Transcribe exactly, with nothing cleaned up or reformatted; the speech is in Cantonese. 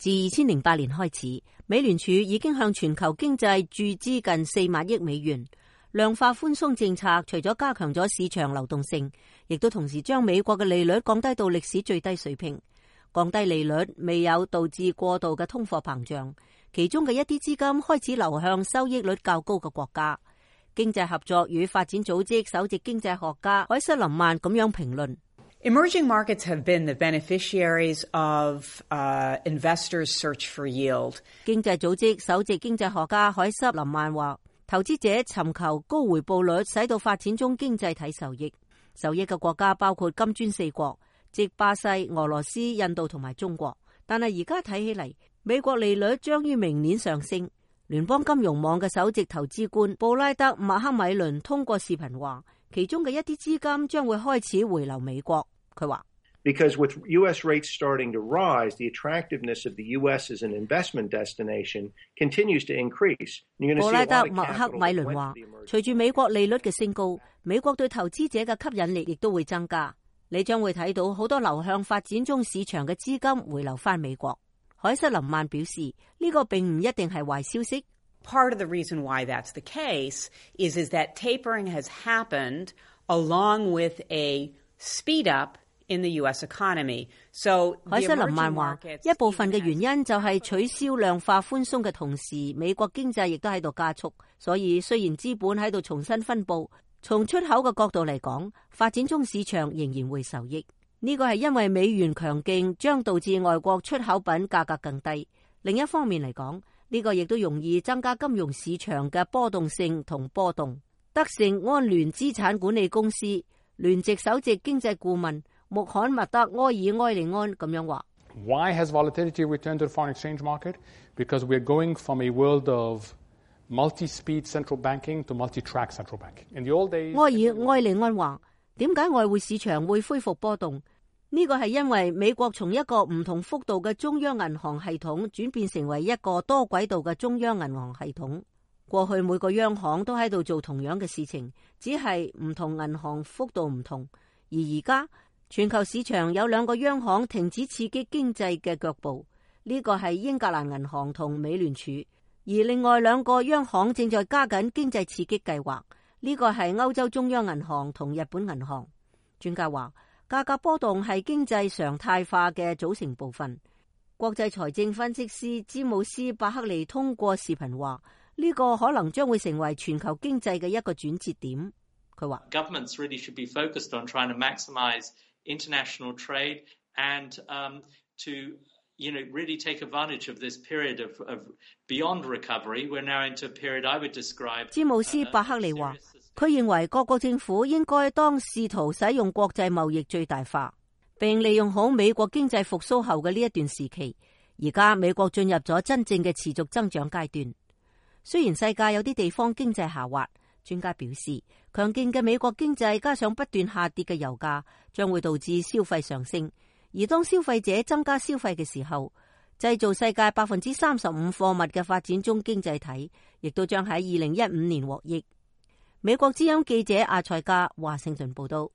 自二千零八年開始，美聯儲已經向全球經濟注資近四萬億美元。量化寬鬆政策除咗加強咗市場流動性，亦都同時將美國嘅利率降低到歷史最低水平。降低利率未有導致過度嘅通貨膨脹，其中嘅一啲資金開始流向收益率較高嘅國家。經濟合作與發展組織首席經濟學家凱瑟琳曼咁樣評論。Emerging markets have been the beneficiaries of uh, investors' search for yield. 經濟組織首席經濟學家凱瑟琳曼話，投資者尋求高回報率，使到發展中經濟體受益。受益嘅國家包括金磚四國，即巴西、俄羅斯、印度同埋中國。但係而家睇起嚟，美國利率將於明年上升。聯邦金融網嘅首席投資官布拉德麥克米倫通過視頻話，其中嘅一啲資金將會開始回流美國。佢話 Because with U S rates starting to rise, the attractiveness of the U S as an investment destination continues to increase. 布拉德麥克米倫話，隨住美國利率嘅升高，美國對投資者嘅吸引力亦都會增加。你將會睇到好多流向發展中市場嘅資金回流翻美國。凱瑟琳曼表示，呢個並唔一定係壞消息。Part of the reason why that's the case is, is that tapering has happened along with a speed up in the U S economy. So 凱瑟琳曼話，一部分嘅原因就係取消量化寬鬆嘅同時，美國經濟亦都喺度加速。所以雖然資本喺度重新分佈，從出口嘅角度嚟講，發展中市場仍然會受益。呢個係因為美元強勁將導致外國出口品價格更低。另一方面嚟講，呢個亦都容易增加金融市場嘅波動性同波動。德盛安聯資產管理公司聯席首席經濟顧問穆罕默德埃爾埃利安咁樣話 ：Why has volatility returned to the foreign exchange market? Because we are going from a world of multi-speed central banking to multi-track central banking. In the old days， 埃爾埃利安話：點解外匯市場會恢復波動？呢個係因為美國從一個唔同幅度嘅中央銀行系統轉變成為一個多軌道嘅中央銀行系統。過去每個央行都喺度做同樣嘅事情，只係唔同銀行幅度唔同。而而家全球市場有兩個央行停止刺激經濟嘅腳步，呢個係英格蘭銀行同美聯儲，而另外兩個央行正在加緊經濟刺激計劃，呢個係歐洲中央銀行同日本銀行。專家話，價格波動係經濟常態化嘅組成部分。國際財政分析師詹姆斯伯克利通過視頻話，呢個可能將會成為全球經濟嘅一個轉折點。佢話 Governments really should be focused on trying to maximize international trade and um, to you know really take advantage of this period of, of beyond recovery. We're now into a period I would describe. 詹姆斯伯克利話，佢認為各國政府應該當試圖使用國際貿易最大化，並利用好美國經濟復甦後嘅呢一段時期。而家美國進入咗真正嘅持續增長階段。雖然世界有啲地方經濟下滑，專家表示，強勁嘅美國經濟加上不斷下跌嘅油價，將會導致消費上升。而當消費者增加消費嘅時候，製造世界百分之三十五貨物嘅發展中經濟體，亦都將喺二零一五年獲益。美國之音記者阿塞加華盛頓報道。